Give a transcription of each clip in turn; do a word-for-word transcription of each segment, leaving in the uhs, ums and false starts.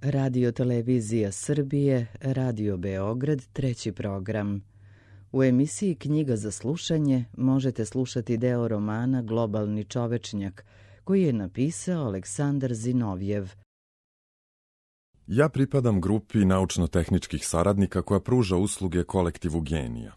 Radio Televizija Srbije, Radio Beograd, treći program. U emisiji Knjiga za slušanje možete slušati deo romana Globalni čovečnjak, koji je napisao Aleksandar Zinovjev. Ja pripadam grupi naučno-tehničkih saradnika koja pruža usluge kolektivu genija.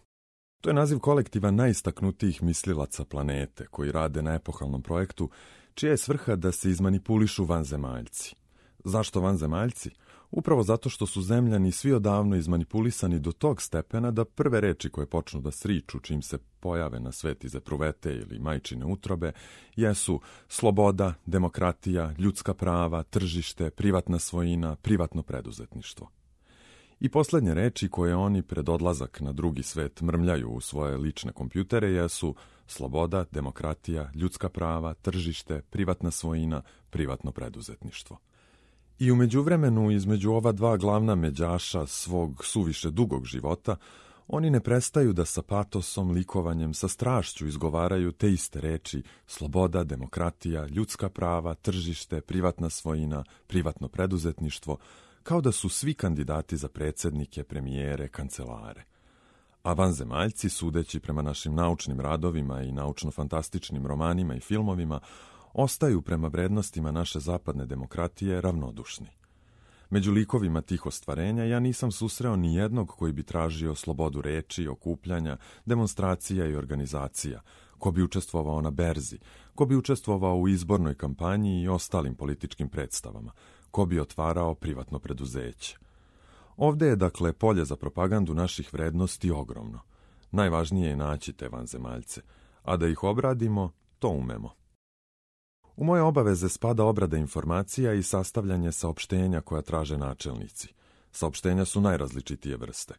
To je naziv kolektiva najistaknutijih mislilaca planete koji rade na epohalnom projektu, čija je svrha da se izmanipulišu vanzemaljci. Zašto vanzemaljci? Upravo zato što su zemljani svi odavno izmanipulisani do tog stepena da prve reči koje počnu da sriču čim se pojave na svet iz epruvete ili majčine utrobe jesu sloboda, demokratija, ljudska prava, tržište, privatna svojina, privatno preduzetništvo. I poslednje reči koje oni pred odlazak na drugi svet mrmljaju u svoje lične kompjutere jesu sloboda, demokratija, ljudska prava, tržište, privatna svojina, privatno preduzetništvo. I u međuvremenu, između ova dva glavna međaša svog suviše dugog života, oni ne prestaju da sa patosom, likovanjem, sa strašću izgovaraju te iste reči sloboda, demokratija, ljudska prava, tržište, privatna svojina, privatno preduzetništvo, kao da su svi kandidati za predsjednike, premijere, kancelare. A vanzemaljci, sudeći prema našim naučnim radovima i naučno-fantastičnim romanima i filmovima, ostaju prema vrednostima naše zapadne demokratije ravnodušni. Među likovima tih ostvarenja ja nisam susreo ni jednog koji bi tražio slobodu reči, okupljanja, demonstracija i organizacija, ko bi učestvovao na berzi, ko bi učestvovao u izbornoj kampanji i ostalim političkim predstavama, ko bi otvarao privatno preduzeće. Ovde je, dakle, polje za propagandu naših vrednosti ogromno. Najvažnije je naći te vanzemaljce, a da ih obradimo, to umemo. U moje obaveze spada obrada informacija i sastavljanje saopštenja koja traže načelnici. Saopštenja su najrazličitije vrste.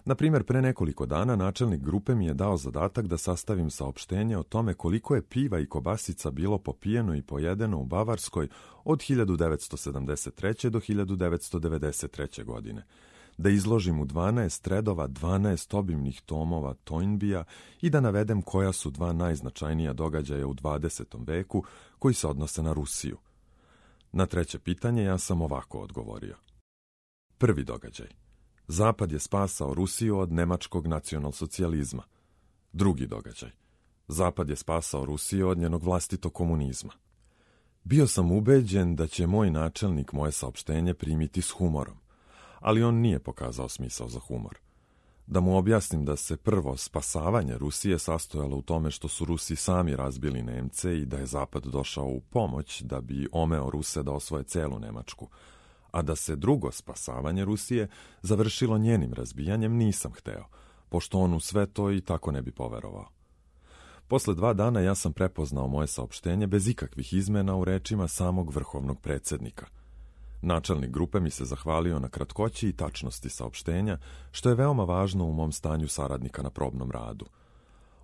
Na primjer, pre nekoliko dana načelnik grupe mi je dao zadatak da sastavim saopštenje o tome koliko je piva i kobasica bilo popijeno i pojedeno u Bavarskoj od hiljadu devetsto sedamdeset treće. do hiljadu devetsto devedeset treće. godine. Da izložim u dvanaest redova dvanaest obimnih tomova Toynbija i da navedem koja su dva najznačajnija događaja u dvadesetom veku koji se odnose na Rusiju. Na treće pitanje ja sam ovako odgovorio. Prvi događaj. Zapad je spasao Rusiju od nemačkog nacionalsocijalizma. Drugi događaj. Zapad je spasao Rusiju od njenog vlastitog komunizma. Bio sam ubeđen da će moj načelnik moje saopštenje primiti s humorom, ali on nije pokazao smisao za humor. Da mu objasnim da se prvo spasavanje Rusije sastojalo u tome što su Rusi sami razbili Nemce i da je Zapad došao u pomoć da bi omeo Ruse da osvoje celu Nemačku, a da se drugo spasavanje Rusije završilo njenim razbijanjem, nisam hteo, pošto on u sve to i tako ne bi poverovao. Posle dva dana ja sam prepoznao moje saopštenje bez ikakvih izmena u rečima samog vrhovnog predsjednika. Načelnik grupe mi se zahvalio na kratkoći i tačnosti saopštenja, što je veoma važno u mom stanju saradnika na probnom radu.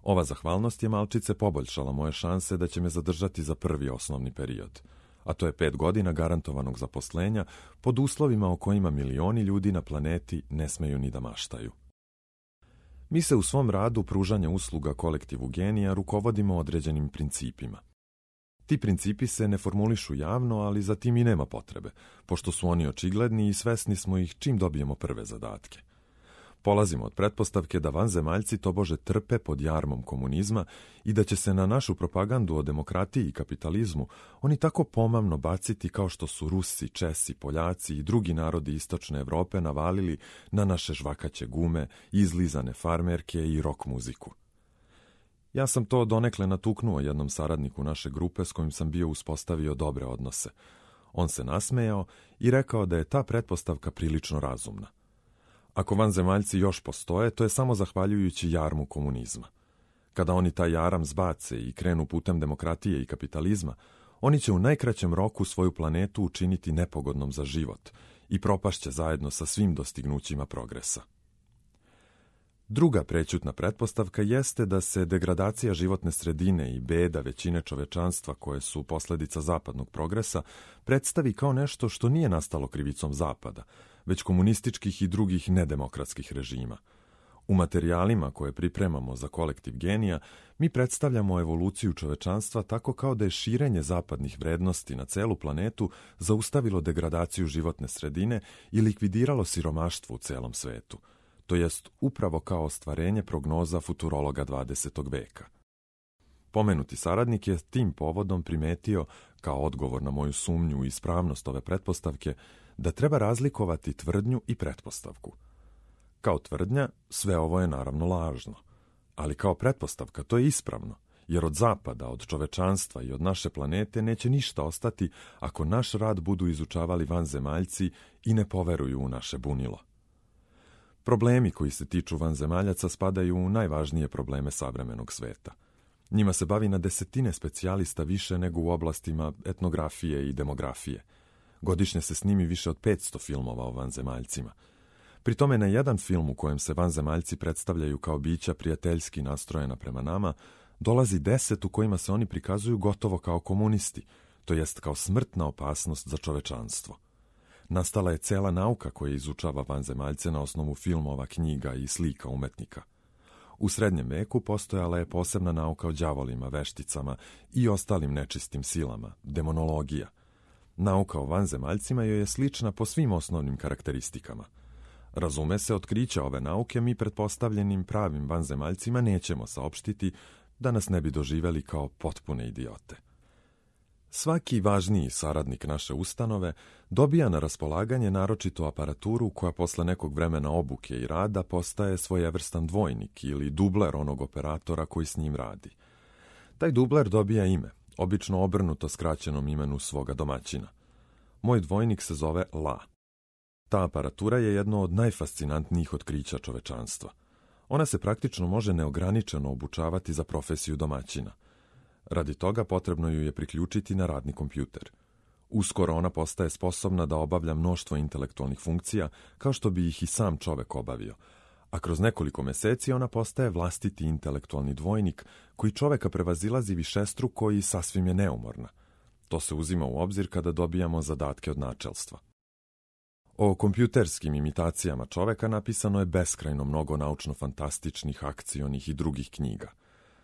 Ova zahvalnost je malčice poboljšala moje šanse da će me zadržati za prvi osnovni period, a to je pet godina garantovanog zaposlenja pod uslovima o kojima milioni ljudi na planeti ne smeju ni da maštaju. Mi se u svom radu pružanja usluga kolektivu genija rukovodimo određenim principima. Ti principi se ne formulišu javno, ali za tim i nema potrebe, pošto su oni očigledni i svesni smo ih čim dobijemo prve zadatke. Polazimo od pretpostavke da vanzemaljci tobože trpe pod jarmom komunizma i da će se na našu propagandu o demokratiji i kapitalizmu oni tako pomamno baciti kao što su Rusi, Česi, Poljaci i drugi narodi istočne Evrope navalili na naše žvakaće gume, izlizane farmerke i rock muziku. Ja sam to donekle natuknuo jednom saradniku naše grupe s kojim sam bio uspostavio dobre odnose. On se nasmejao i rekao da je ta pretpostavka prilično razumna. Ako vanzemaljci još postoje, to je samo zahvaljujući jarmu komunizma. Kada oni taj jaram zbace i krenu putem demokratije i kapitalizma, oni će u najkraćem roku svoju planetu učiniti nepogodnom za život i propašće zajedno sa svim dostignućima progresa. Druga prećutna pretpostavka jeste da se degradacija životne sredine i beda većine čovečanstva koje su posledica zapadnog progresa predstavi kao nešto što nije nastalo krivicom Zapada, već komunističkih i drugih nedemokratskih režima. U materijalima koje pripremamo za kolektiv genija, mi predstavljamo evoluciju čovečanstva tako kao da je širenje zapadnih vrednosti na celu planetu zaustavilo degradaciju životne sredine i likvidiralo siromaštvo u celom svetu, to jest upravo kao ostvarenje prognoza futurologa dvadesetog veka. Pomenuti saradnik je tim povodom primetio, kao odgovor na moju sumnju u ispravnost ove pretpostavke, da treba razlikovati tvrdnju i pretpostavku. Kao tvrdnja, sve ovo je naravno lažno, ali kao pretpostavka to je ispravno, jer od zapada, od čovečanstva i od naše planete neće ništa ostati ako naš rad budu izučavali vanzemaljci i ne poveruju u naše bunilo. Problemi koji se tiču vanzemaljaca spadaju u najvažnije probleme savremenog sveta. Njima se bavi na desetine specijalista više nego u oblastima etnografije i demografije. Godišnje se snimi više od petsto filmova o vanzemaljcima. Pri tome na jedan film u kojem se vanzemaljci predstavljaju kao bića prijateljski nastrojena prema nama, dolazi deset u kojima se oni prikazuju gotovo kao komunisti, to jest kao smrtna opasnost za čovečanstvo. Nastala je cela nauka koja izučava vanzemaljce na osnovu filmova, knjiga i slika umetnika. U srednjem veku postojala je posebna nauka o đavolima, vešticama i ostalim nečistim silama, demonologija. Nauka o vanzemaljcima joj je slična po svim osnovnim karakteristikama. Razume se, otkrića ove nauke mi pretpostavljenim pravim vanzemaljcima nećemo saopštiti da nas ne bi doživeli kao potpune idiote. Svaki važniji saradnik naše ustanove dobija na raspolaganje naročitu aparaturu koja posle nekog vremena obuke i rada postaje svojevrstan dvojnik ili dubler onog operatora koji s njim radi. Taj dubler dobija ime, obično obrnuto skraćenom imenu svoga domaćina. Moj dvojnik se zove La. Ta aparatura je jedno od najfascinantnijih otkrića čovečanstva. Ona se praktično može neograničeno obučavati za profesiju domaćina. Radi toga potrebno ju je priključiti na radni kompjuter. Uskoro ona postaje sposobna da obavlja mnoštvo intelektualnih funkcija, kao što bi ih i sam čovek obavio, a kroz nekoliko meseci ona postaje vlastiti intelektualni dvojnik koji čoveka prevazilazi višestruko i sasvim je neumorna. To se uzima u obzir kada dobijamo zadatke od načelstva. O kompjuterskim imitacijama čoveka napisano je beskrajno mnogo naučno-fantastičnih, akcionih i drugih knjiga.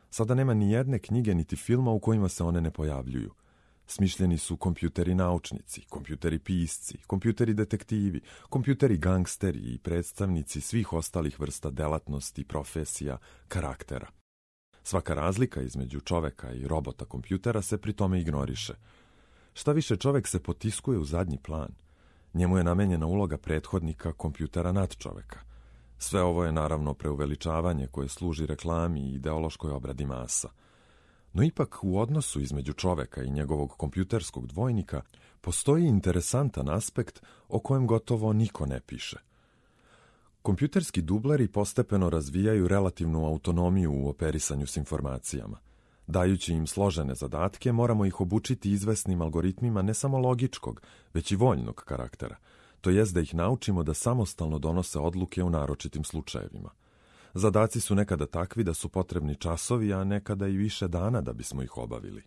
Sada nema ni jedne knjige niti filma u kojima se one ne pojavljuju. Smišljeni su kompjuteri naučnici, kompjuteri pisci, kompjuteri detektivi, kompjuteri gangsteri i predstavnici svih ostalih vrsta delatnosti, profesija, karaktera. Svaka razlika između čoveka i robota kompjutera se pri tome ignoriše. Šta više, čovek se potiskuje u zadnji plan. Njemu je namenjena uloga prethodnika kompjutera nad čoveka. Sve ovo je naravno preuveličavanje koje služi reklami i ideološkoj obradi masa. No ipak u odnosu između čoveka i njegovog kompjuterskog dvojnika postoji interesantan aspekt o kojem gotovo niko ne piše. Kompjuterski dubleri postepeno razvijaju relativnu autonomiju u operisanju s informacijama. Dajući im složene zadatke, moramo ih obučiti izvesnim algoritmima ne samo logičkog, već i voljnog karaktera, to jest da ih naučimo da samostalno donose odluke u naročitim slučajevima. Zadaci su nekada takvi da su potrebni časovi, a nekada i više dana da bismo ih obavili.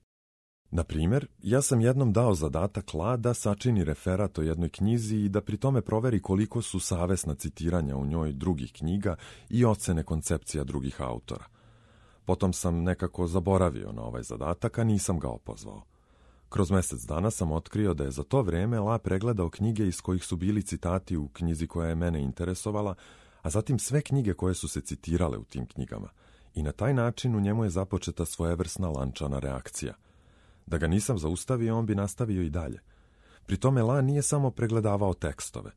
Na primjer, ja sam jednom dao zadatak La da sačini referat o jednoj knjizi i da pri tome proveri koliko su savesna citiranja u njoj drugih knjiga i ocene koncepcija drugih autora. Potom sam nekako zaboravio na ovaj zadatak, a nisam ga opozvao. Kroz mesec dana sam otkrio da je za to vreme La pregledao knjige iz kojih su bili citati u knjizi koja je mene interesovala, a zatim sve knjige koje su se citirale u tim knjigama. I na taj način u njemu je započeta svojevrsna lančana reakcija. Da ga nisam zaustavio, on bi nastavio i dalje. Pri tome La nije samo pregledavao tekstove.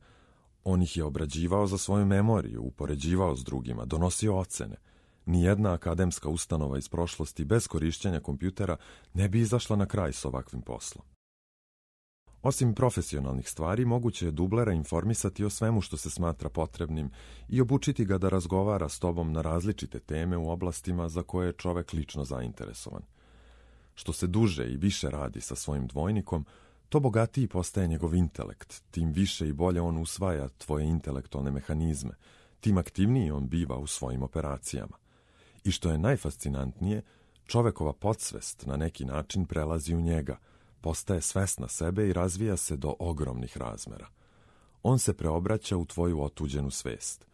On ih je obrađivao za svoju memoriju, upoređivao s drugima, donosio ocene. Nijedna akademska ustanova iz prošlosti bez korišćenja kompjutera ne bi izašla na kraj s ovakvim poslom. Osim profesionalnih stvari, moguće je dublera informisati o svemu što se smatra potrebnim i obučiti ga da razgovara s tobom na različite teme u oblastima za koje je čovek lično zainteresovan. Što se duže i više radi sa svojim dvojnikom, to bogatiji postaje njegov intelekt, tim više i bolje on usvaja tvoje intelektualne mehanizme, tim aktivniji on biva u svojim operacijama. I što je najfascinantnije, čovekova podsvest na neki način prelazi u njega, postaje svesna sebe i razvija se do ogromnih razmera. On se preobraća u tvoju otuđenu svest.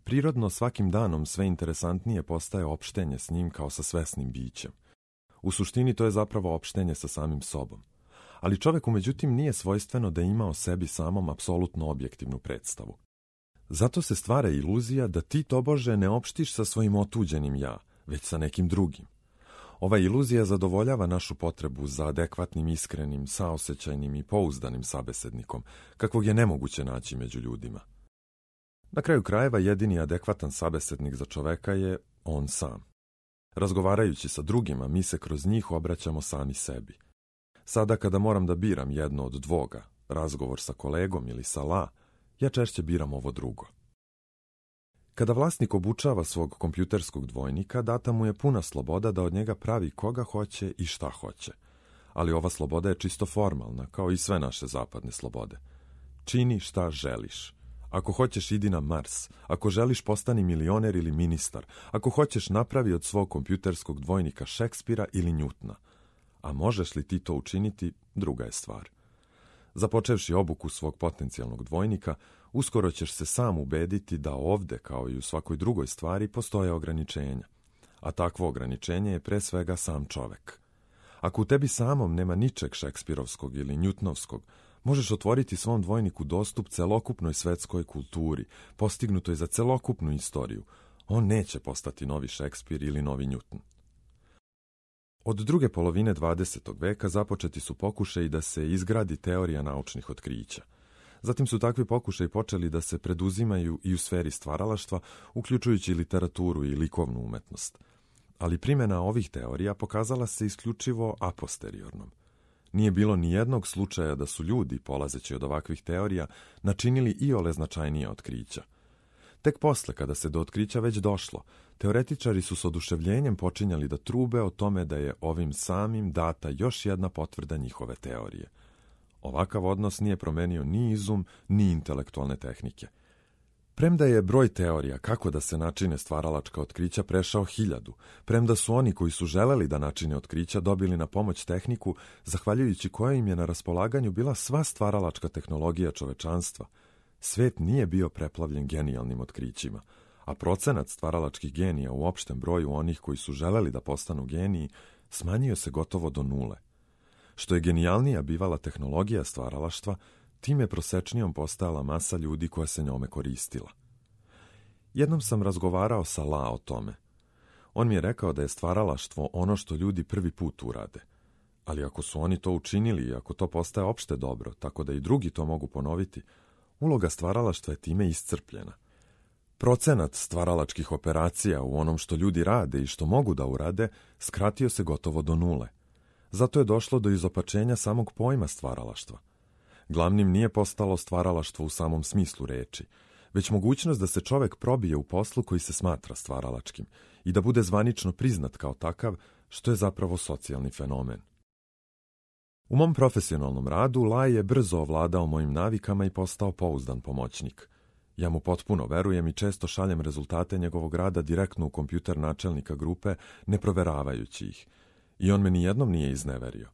Prirodno svakim danom sve interesantnije postaje opštenje s njim kao sa svesnim bićem. U suštini to je zapravo opštenje sa samim sobom. Ali čoveku međutim nije svojstveno da ima o sebi samom apsolutno objektivnu predstavu. Zato se stvara iluzija da ti tobože ne opštiš sa svojim otuđenim ja, već sa nekim drugim. Ova iluzija zadovoljava našu potrebu za adekvatnim, iskrenim, saosećajnim i pouzdanim sabesednikom, kakvog je nemoguće naći među ljudima. Na kraju krajeva jedini adekvatan sabesednik za čoveka je on sam. Razgovarajući sa drugima, mi se kroz njih obraćamo sami sebi. Sada kada moram da biram jedno od dvoga, razgovor sa kolegom ili sa la, ja češće biram ovo drugo. Kada vlasnik obučava svog kompjuterskog dvojnika, data mu je puna sloboda da od njega pravi koga hoće i šta hoće. Ali ova sloboda je čisto formalna, kao i sve naše zapadne slobode. Čini šta želiš. Ako hoćeš, idi na Mars. Ako želiš, postani milioner ili ministar. Ako hoćeš, napravi od svog kompjuterskog dvojnika Šekspira ili Njutna. A možeš li ti to učiniti, druga je stvar. Započevši obuku svog potencijalnog dvojnika, uskoro ćeš se sam ubediti da ovde, kao i u svakoj drugoj stvari, postoje ograničenja. A takvo ograničenje je pre svega sam čovek. Ako u tebi samom nema ničeg šekspirovskog ili njutnovskog, možeš otvoriti svom dvojniku dostup celokupnoj svetskoj kulturi, postignutoj za celokupnu istoriju. On neće postati novi Šekspir ili novi Njutn. Od druge polovine dvadesetog veka započeti su pokušaji da se izgradi teorija naučnih otkrića. Zatim su takvi pokušaji počeli da se preduzimaju i u sferi stvaralaštva, uključujući literaturu i likovnu umetnost. Ali primjena ovih teorija pokazala se isključivo a posteriornom. Nije bilo ni jednog slučaja da su ljudi, polazeći od ovakvih teorija, načinili iole značajnija otkrića. Tek posle, kada se do otkrića već došlo, teoretičari su s oduševljenjem počinjali da trube o tome da je ovim samim data još jedna potvrda njihove teorije. Ovakav odnos nije promenio ni izum, ni intelektualne tehnike. Premda je broj teorija kako da se načine stvaralačka otkrića prešao hiljadu, premda su oni koji su želeli da načine otkrića dobili na pomoć tehniku, zahvaljujući kojoj im je na raspolaganju bila sva stvaralačka tehnologija čovečanstva, svet nije bio preplavljen genijalnim otkrićima, a procenat stvaralačkih genija u opštem broju onih koji su želeli da postanu geniji smanjio se gotovo do nule. Što je genijalnija bivala tehnologija stvaralaštva, tim je prosečnijom postajala masa ljudi koja se njome koristila. Jednom sam razgovarao sa La o tome. On mi je rekao da je stvaralaštvo ono što ljudi prvi put urade. Ali ako su oni to učinili i ako to postaje opšte dobro, tako da i drugi to mogu ponoviti, uloga stvaralaštva je time iscrpljena. Procenat stvaralačkih operacija u onom što ljudi rade i što mogu da urade skratio se gotovo do nule. Zato je došlo do izopačenja samog pojma stvaralaštva. Glavnim nije postalo stvaralaštvo u samom smislu reči, već mogućnost da se čovek probije u poslu koji se smatra stvaralačkim i da bude zvanično priznat kao takav, što je zapravo socijalni fenomen. U mom profesionalnom radu Laj je brzo ovladao mojim navikama i postao pouzdan pomoćnik. Ja mu potpuno verujem i često šaljem rezultate njegovog rada direktno u kompjuter načelnika grupe, ne proveravajući ih. I on me nijednom nije izneverio.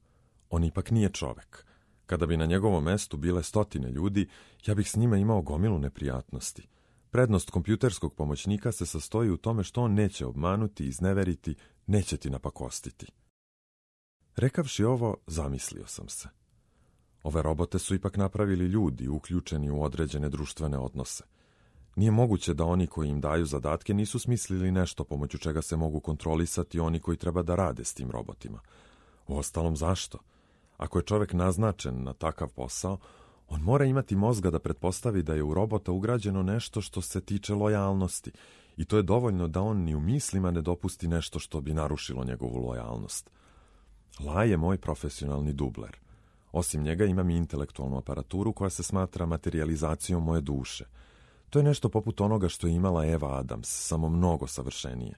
On ipak nije čovek. Kada bi na njegovom mestu bile stotine ljudi, ja bih s njima imao gomilu neprijatnosti. Prednost kompjuterskog pomoćnika se sastoji u tome što on neće obmanuti, izneveriti, neće ti napakostiti. Rekavši ovo, zamislio sam se. Ove robote su ipak napravili ljudi, uključeni u određene društvene odnose. Nije moguće da oni koji im daju zadatke nisu smislili nešto pomoću čega se mogu kontrolisati oni koji treba da rade s tim robotima. Uostalom, zašto? Ako je čovek naznačen na takav posao, on mora imati mozga da pretpostavi da je u robota ugrađeno nešto što se tiče lojalnosti i to je dovoljno da on ni u mislima ne dopusti nešto što bi narušilo njegovu lojalnost. La je moj profesionalni dubler. Osim njega imam i intelektualnu aparaturu koja se smatra materijalizacijom moje duše. To je nešto poput onoga što je imala Eva Adams, samo mnogo savršenije.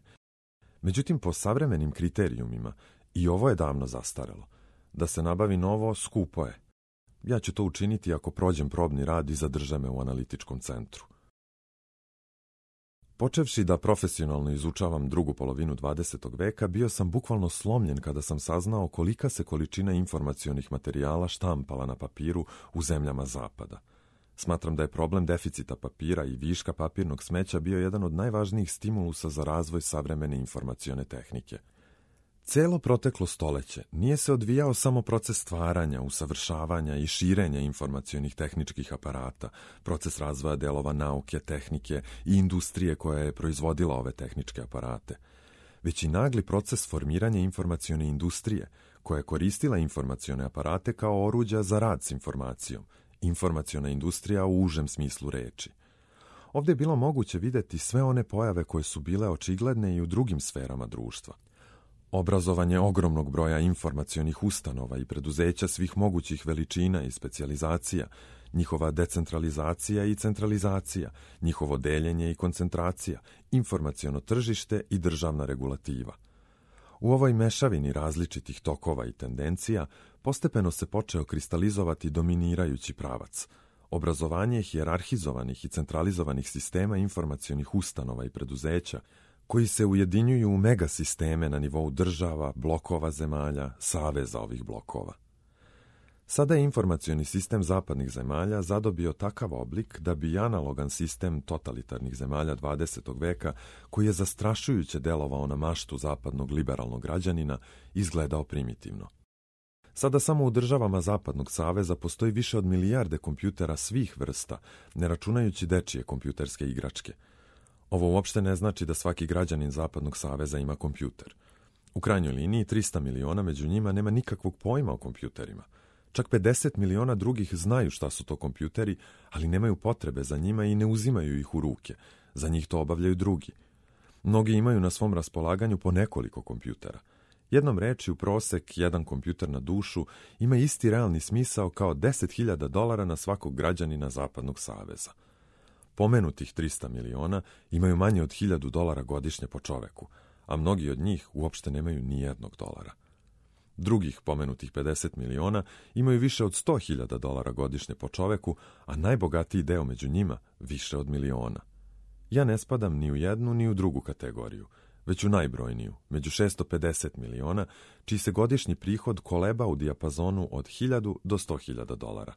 Međutim, po savremenim kriterijumima, i ovo je davno zastarelo. Da se nabavi novo, skupo je. Ja ću to učiniti ako prođem probni rad i zadrže me u analitičkom centru. Počevši da profesionalno izučavam drugu polovinu dvadesetog veka, bio sam bukvalno slomljen kada sam saznao kolika se količina informacionih materijala štampala na papiru u zemljama zapada. Smatram da je problem deficita papira i viška papirnog smeća bio jedan od najvažnijih stimulusa za razvoj savremene informacione tehnike. Celo proteklo stoleće nije se odvijao samo proces stvaranja, usavršavanja i širenja informacionih tehničkih aparata, proces razvoja delova nauke, tehnike i industrije koja je proizvodila ove tehničke aparate, već i nagli proces formiranja informacione industrije koja je koristila informacione aparate kao oruđa za rad s informacijom, informaciona industrija u užem smislu reči. Ovdje je bilo moguće vidjeti sve one pojave koje su bile očigledne i u drugim sferama društva. Obrazovanje ogromnog broja informacionih ustanova i preduzeća svih mogućih veličina i specijalizacija, njihova decentralizacija i centralizacija, njihovo deljenje i koncentracija, informaciono tržište i državna regulativa. U ovoj mešavini različitih tokova i tendencija postepeno se počeo kristalizovati dominirajući pravac. Obrazovanje hijerarhizovanih i centralizovanih sistema informacionih ustanova i preduzeća koji se ujedinjuju u megasisteme na nivou država, blokova zemalja, saveza ovih blokova. Sada je informacioni sistem zapadnih zemalja zadobio takav oblik da bi analogan sistem totalitarnih zemalja dvadesetog veka, koji je zastrašujuće delovao na maštu zapadnog liberalnog građanina, izgledao primitivno. Sada samo u državama Zapadnog saveza postoji više od milijarde kompjutera svih vrsta, ne računajući dečije kompjuterske igračke. Ovo uopšte ne znači da svaki građanin Zapadnog saveza ima kompjuter. U krajnjoj liniji trista miliona među njima nema nikakvog pojma o kompjuterima. Čak pedeset miliona drugih znaju šta su to kompjuteri, ali nemaju potrebe za njima i ne uzimaju ih u ruke. Za njih to obavljaju drugi. Mnogi imaju na svom raspolaganju po nekoliko kompjutera. Jednom reči, u prosek jedan kompjuter na dušu ima isti realni smisao kao deset hiljada dolara na svakog građanina Zapadnog saveza. Pomenutih trista miliona imaju manje od hiljadu dolara godišnje po čoveku, a mnogi od njih uopšte nemaju ni jednog dolara. Drugih pomenutih pedeset miliona imaju više od sto hiljada dolara godišnje po čoveku, a najbogatiji deo među njima više od miliona. Ja ne spadam ni u jednu ni u drugu kategoriju, već u najbrojniju, među šesto pedeset miliona, čiji se godišnji prihod koleba u dijapazonu od hiljadu do sto hiljada dolara.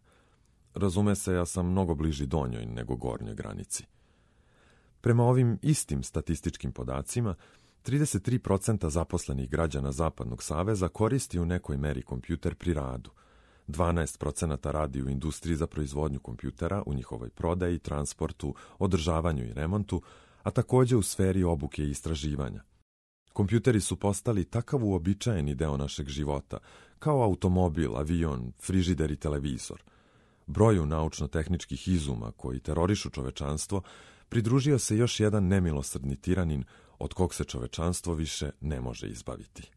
Razume se, ja sam mnogo bliži donjoj nego gornjoj granici. Prema ovim istim statističkim podacima, trideset tri posto zaposlenih građana Zapadnog saveza koristi u nekoj meri kompjuter pri radu. dvanaest posto radi u industriji za proizvodnju kompjutera, u njihovoj prodaji, transportu, održavanju i remontu, a također u sferi obuke i istraživanja. Kompjuteri su postali takav uobičajeni deo našeg života, kao automobil, avion, frižider i televizor. Broju naučno-tehničkih izuma koji terorišu čovečanstvo pridružio se još jedan nemilosrdni tiranin od kog se čovečanstvo više ne može izbaviti.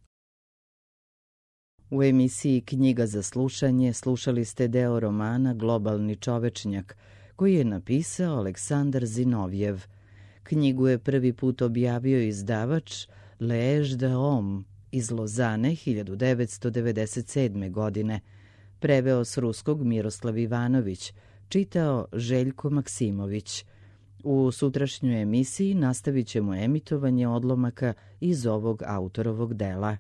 U emisiji Knjiga za slušanje slušali ste deo romana Globalni čovečnjak, koji je napisao Aleksandar Zinovjev. Knjigu je prvi put objavio izdavač L'Age de Homme iz Lozane hiljadu devetsto devedeset sedme. godine. Preveo s ruskog Miroslav Ivanović, čitao Željko Maksimović. U sutrašnjoj emisiji nastavit ćemo emitovanje odlomaka iz ovog autorovog dela.